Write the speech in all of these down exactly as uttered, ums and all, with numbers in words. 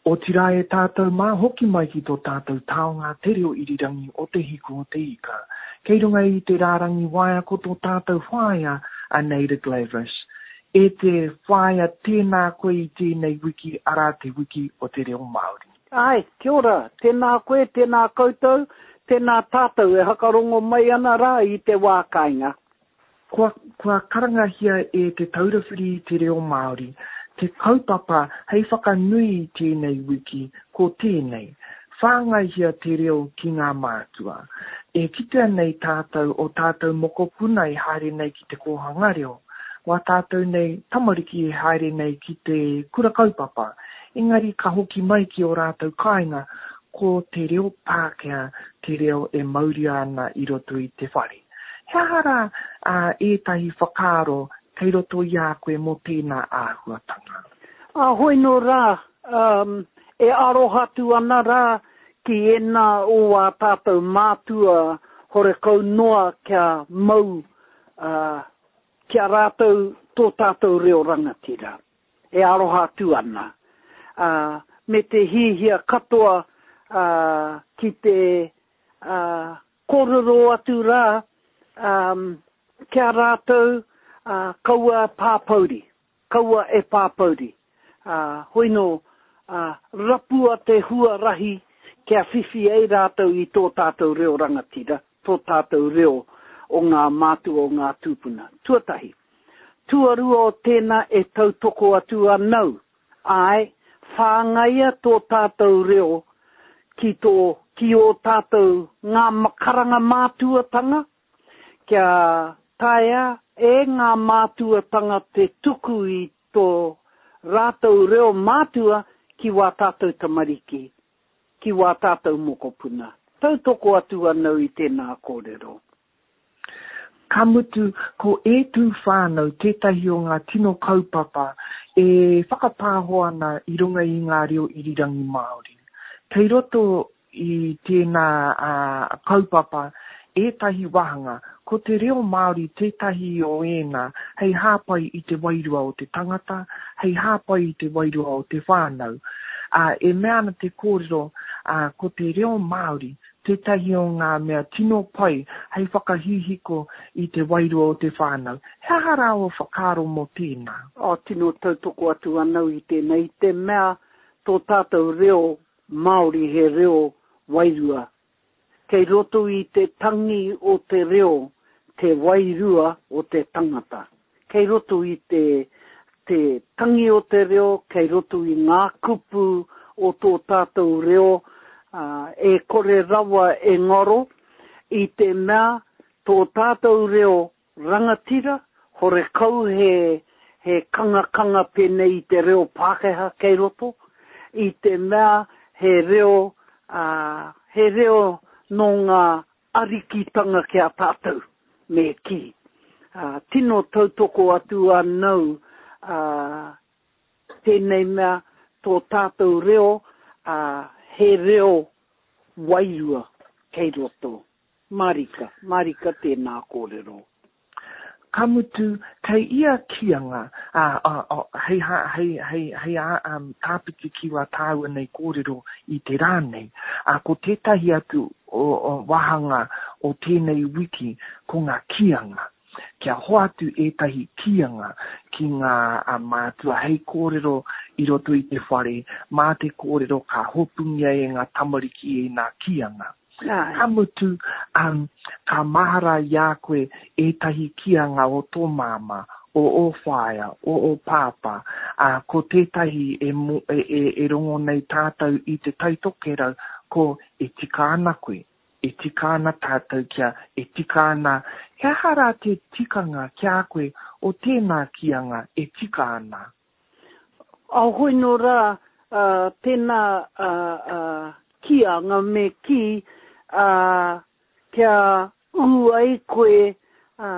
Otirā e tātou mā, hoki mai ki tō tātou taonga te reo irirangi o Te Hiku o Te Ika. Kei runga i te rārangi waea ko tō tātou whaea a Naida Glavish. E te whaea, tēnā koe i tēnei wiki, arā te wiki o te reo Māori. Āe, kia ora, tēnā koe, tēnā koutou, tēnā tātou e hakarongo mai ana rā i te wā kāinga. Kua, kua karangahia e Te Taura Whiri i te Reo Māori te kaupapa hei whakanui i tēnei wiki, ko tēnei, Whāngaihia te reo ki ngā mātua. E kitea nei tātou o tātou mokopuna e haere nei ki te kōhanga reo, wā tātou nei tamariki e haere nei ki te kura kaupapa, engari ka hoki mai ki ō rātou kāinga, ko te reo Pākehā te reo e mauria ana i roto i te whare. He aha rā ētahi whakaaro kei roto i a koe mō tēnā āhuatanga? Ā, hoi nō rā, e aroha atu ana rā ki ēnā o ā tātou mātua horekau noa kia mau ki a rātou tō tātou reo rangatira. E aroha atu ana. Ā, me te hihia katoa ki te kōrero atu rā ki a rātou, ā, kaua pāpouri, kaua e pāpouri. Ā, hoi nō, ā, rapua te huarahi kia whiwhi ai rātou i tō tātou reo rangatira, tō tātou reo o ngā mātua o ngā tūpuna. Tuatahi. Tuarua o tēnā e tautoko atu anau, āe, whāngaia tō tātou reo ki tō, ki ō tātou ngā karanga mātuatanga, kia taea e ngā mātuatanga te tuku i tō rātou reo mātua ki wā tātou tamariki, ki wā tātou mokopuna. Tautoko atu anau i tēnā kōrero. Ka mutu, ko E Tū Whānau tētahi o ngā tino kaupapa e whakapāho ana i runga i ngā reo irirangi Māori. Kei roto i tēnā kaupapa ētahi wāhanga, ko te reo Māori tētahi o ēnā hei hāpai i te wairua o te tangata, hei hāpai i te wairua o te whānau. Ā, e mea ana te kōrero, ā, ko te reo Māori tētahi o ngā mea tino pai hei whakahihiko i te wairua o te whānau. He aha rā ō whakaaro mō tēnā? Ā, tino tautoko atu anau i tēnei, i te mea tō tātou reo Māori he reo wairua. Kei roto i te tangi o te reo te wairua o te tangata. Kei roto i te, te tangi o te reo, kei roto i ngā kupu o tō tātou reo, ā, e kore rawa e ngaro, i te mea tō tātou reo rangatira, horekau he, he kangakanga pēnei i te reo Pākehā kei roto, i te mea he reo, ā, he reo nō ngā arikitanga ki a tātou, me kī. Ā, tino tautoko atu anau, ā, tēnei mea, tō tātou reo, ā, he reo wairua kei roto. Mārika, mārika tēnā kōrero. Ka mutu, kei ia kīanga, ā, ā, ā, hei hā, hei, hei, hei ā, um, tāpiti ki wā tāua nei kōrero i te rā nei, ā, ko tētahi atu o, o wāhanga o tēnei wiki, ko ngā kīanga. Kia hoatu ētahi kīanga ki ngā mātua hei kōrero i roto i te whare, mā te kōrero ka hopungia e ngā tamariki ēnā kīanga. Ka mutu, um, ka mahara i a koe ētahi kīanga o tō māmā, o ō whaea, o ō pāpā, ā, ko tētahi e, e, e, e rongo nei tātou i Te Tai Tokerau, ko e tika ana koe, e tika ana tātou kia e tika ana, he aha rā te tikanga ki a koe o tēnā kīanga e tika ana? A hoi nō rā, ā, tēnā, ā, ā, kīanga me kī, ā, kia ū ai koe, ā,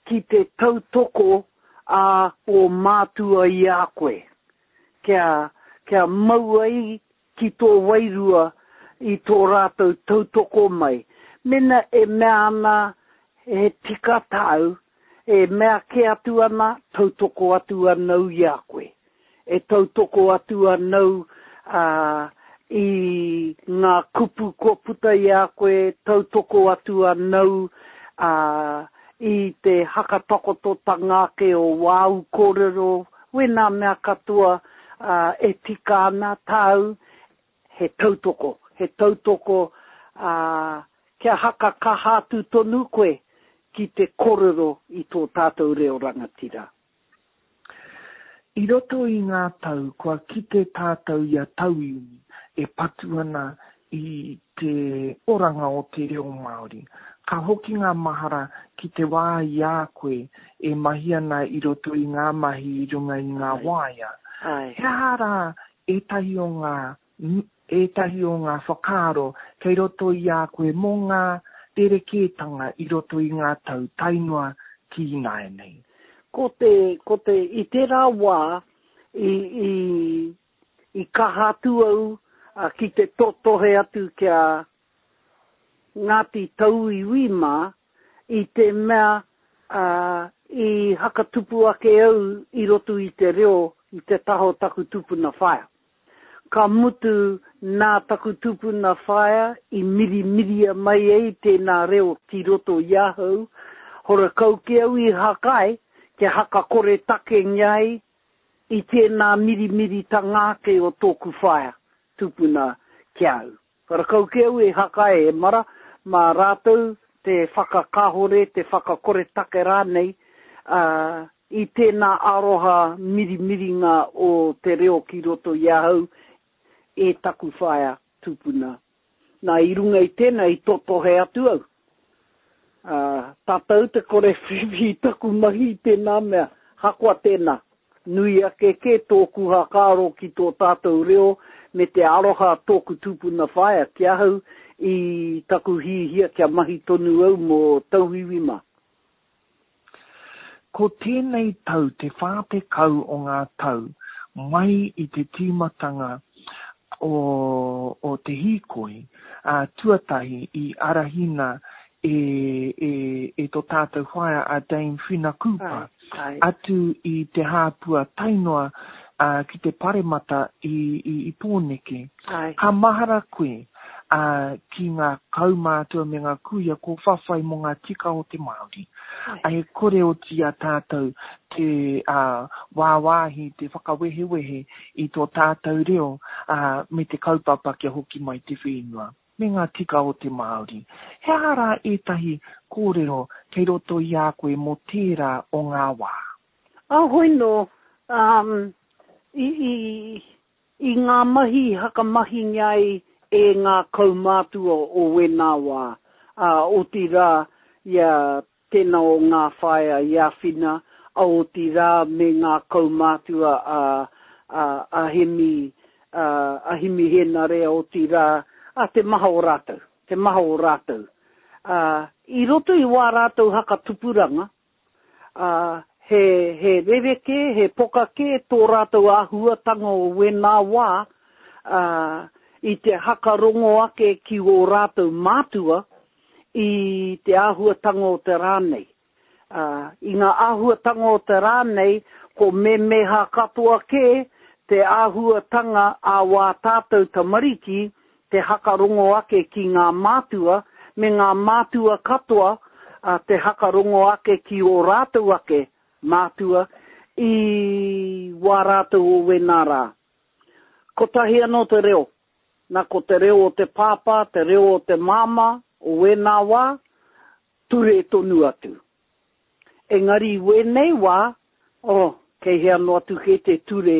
ki te tautoko a ō mātua i a koe, kia, kia mau ai ki tō wairua i tō rātou tautoko mai. Mena e mea ana he tika tāu, e mea kē atu ana, tautoko atu anau i a koe. E tautoko atu anau ā, i ngā kupu kua puta i a koe, tautoko atu anau, ā, i te hakatakototanga ake o wāu kōrero, wēnā mea katoa, ā, e tika ana tāu, he tautoko, he tautoko, ā, kia haka kaha atu tonu koe ki te kōrero i tō tātou reo rangatira. I roto i ngā tau kua kite tātou i a tauiwi e patu ana i te oranga o te reo Māori. Ka hoki ngā mahara ki te wā i a koe e mahi ana i roto i ngā mahi i runga i ngā waea. He aha rā ētahi o ngā, ētahi o ngā whakaaro kei roto i a koe mō ngā rerekētanga i roto i ngā tau tae noa ki ināianei? Ko te, ko te, i tērā wā i, i, i kaha atu au ki te totohe atu ki a Ngāti Tauiwi mā, i te mea i hakatupu ake au i roto i te reo i te taha o taku tupuna whaea. Ka mutu nā taku tupuna whaea i mirimiria mai ai tēnā reo ki roto i ahau, horakau ki au i hakae kia hakakoretakengia ai i tēnā mirimiritanga ake o tōku whaea tupuna ki a au. Horakau ki au e hakae e mara, mā rātou te whakakāhore, te whakakoretake rānei, ā, i tēnā aroha mirimiringa o te reo ki roto i ahau e taku whaea tupuna. Nā, i runga i tēnā i totohe atu au. Ā, tātou te kore whiwhi i taku mahi i tēnā mea, hakoa tēnā, nui ake kē tōku hakaaro ki tō tātou reo me te aroha tōku tupuna whaea ki ahau i taku hihia kia mahi tonu au mō tauiwi mā. Ko tēnei tau te whā tekau o ngā tau mai i te tīmatanga o, o te hīkoi ā, tuatahi i arahina e, e, e tō tātou whaea a Dame Whina Cooper, Ai, ai. atu i Te Hāpua tae noa ā, ki te paremata i, i, i Pōneke. Ai. Ka mahara koe ā, ki ngā kaumātua me ngā kuia ko whawhai mō ngā tika o te Māori. Ai. E kore oti i a tātou te ā, wāwāhi, te whakawehewehe i tō tātou reo ā, me te kaupapa kia hoki mai te whenua me ngā tika o te Māori. He aha rā ētahi kōrero kei roto i a koe mō tērā o ngā wā? Ā, hoi nō, um, i, i, i ngā mahi i hakamahingia ai e ngā kaumātua o wēnā wā, ā, otirā i a tēnā o ngā whaea i āwhina, ā, otirā me ngā kaumātua a, a, a Hemi, a, a Himi Hēnare, otirā, ā, te maha o rātou, te maha o rātou. Ā, i roto i wā rātou hakatupuranga, ā, he, he rerekē, he poka kē tō rātou āhuatanga o wēnā wā, ā, i te hakarongo ake ki ō rātou mātua i te āhuatanga o te rā nei. Ā, i ngā āhuatanga o te rā nei, ko memeha katoa kē te āhuatanga a wā tātou tamariki te hakarongo ake ki ngā mātua, me ngā mātua katoa ā, te hakarongo ake ki ō rātou ake mātua i wā rātou o wēnā rā. Kotahi anō te reo. Nā, ko te reo o te pāpā, te reo o te māmā o wēnā wā, ture tonu atu. Engari i wēnei wā, oh, kei hea noa atu kē te ture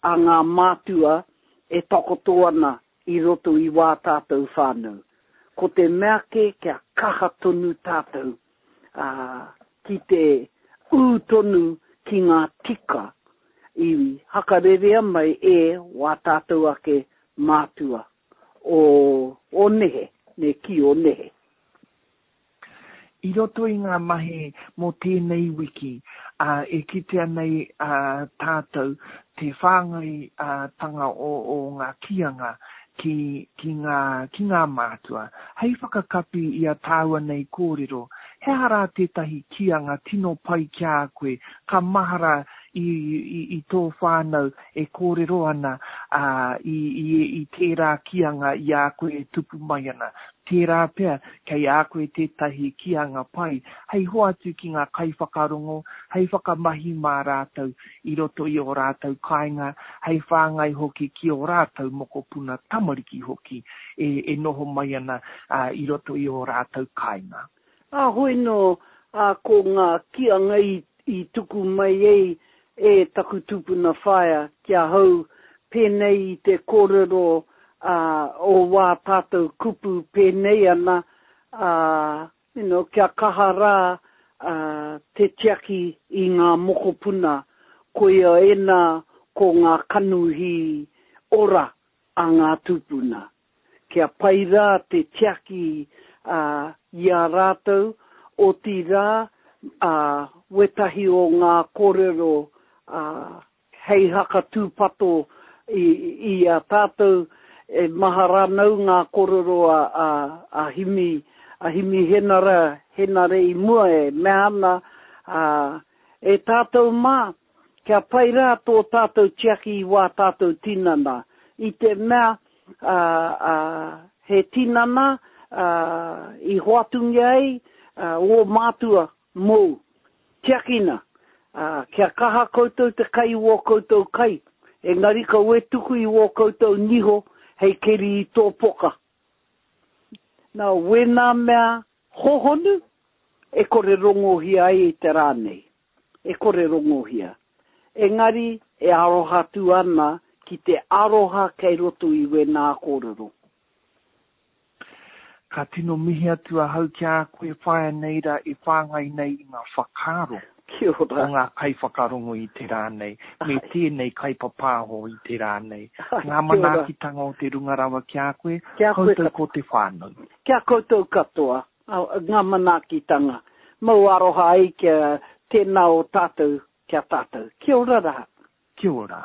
a ngā mātua e takoto ana i roto i wā tātou whānau. Ko te mea kē kia kaha tonu tātou, ā, ki te ū tonu ki ngā tika i hakarerea mai e wā tātou ake mātua o, o nehe, me kī o nehe. I roto i ngā mahi mō tēnei wiki, ā, e kitea nei ā, tātou te whāngaitanga o, o ngā kīanga ki, ki ngā, ki ngā mātua. Hei whakakapi i a tāua nei kōrero, he aha rā tētahi kīanga tino pai ki a koe ka mahara i, i, i tō whānau e kōrero ana ā, i, i, i tērā kīanga i a koe e tupu mai ana. Tērā pea kei a koe tētahi kīanga pai hei hoatu ki ngā kaiwhakarongo, hei whakamahi mā rātou i roto i ō rātou kāinga, hei whāngai hoki ki ō rātou mokopuna tamariki hoki e, e noho mai ana ā, i roto i ō rātou kāinga. Ā, hoi nō, ā, ko ngā kīanga i, i tuku mai ei e taku tupuna whaea ki ahau pēnei i te kōrero ā, o wā tātou kupu pēnei ana, ā, you know, kia kaha rā ā, te tiaki i ngā mokopuna, koia ēnā ko ngā kanuhi ora a ngā tūpuna. Kia pai rā te tiaki ā, i a rātou, otirā, ā, wētahi o ngā kōrero ā, hei hakatūpato i, i a tātou, e maha rānau ngā kōrero a, a, a Himi, a Himi Henara, Henare i mua e mea ana, ā, e tātou mā, kia pai rā tō tātou tiaki i wā tātou tinana, i te mea, ā, ā, he tinana, ā, i hoatungia ai, ā, ō mātua mōu. Tiakina, ā, kia kaha koutou te kai i wō koutou kai, engari kaua e tuku i wō koutou niho hei keri i tō poka. Nā, wēnā mea hohonu e kore rongohia ai i te rā nei. E kore rongohia. Engari e aroha atu ana ki te aroha kei roto i wēnā kōrero. Ka tino mihi atu ahau ki a koe whaea nei rā e whāngai nei i ngā whakaaro Kia ora. o ngā kaiwhakarongo i te rā nei, me tēnei kaipapāho i te rā nei. Ai, Ngā kia ora. manaakitanga o te runga rawa ki a koe, Ki a koe koutou katoa. ko te whānau. Ki a koutou katoa, ngā manaakitanga. Mau aroha ai kia tēnā o tātou ki a tātou. Kia ora rā. Kia ora.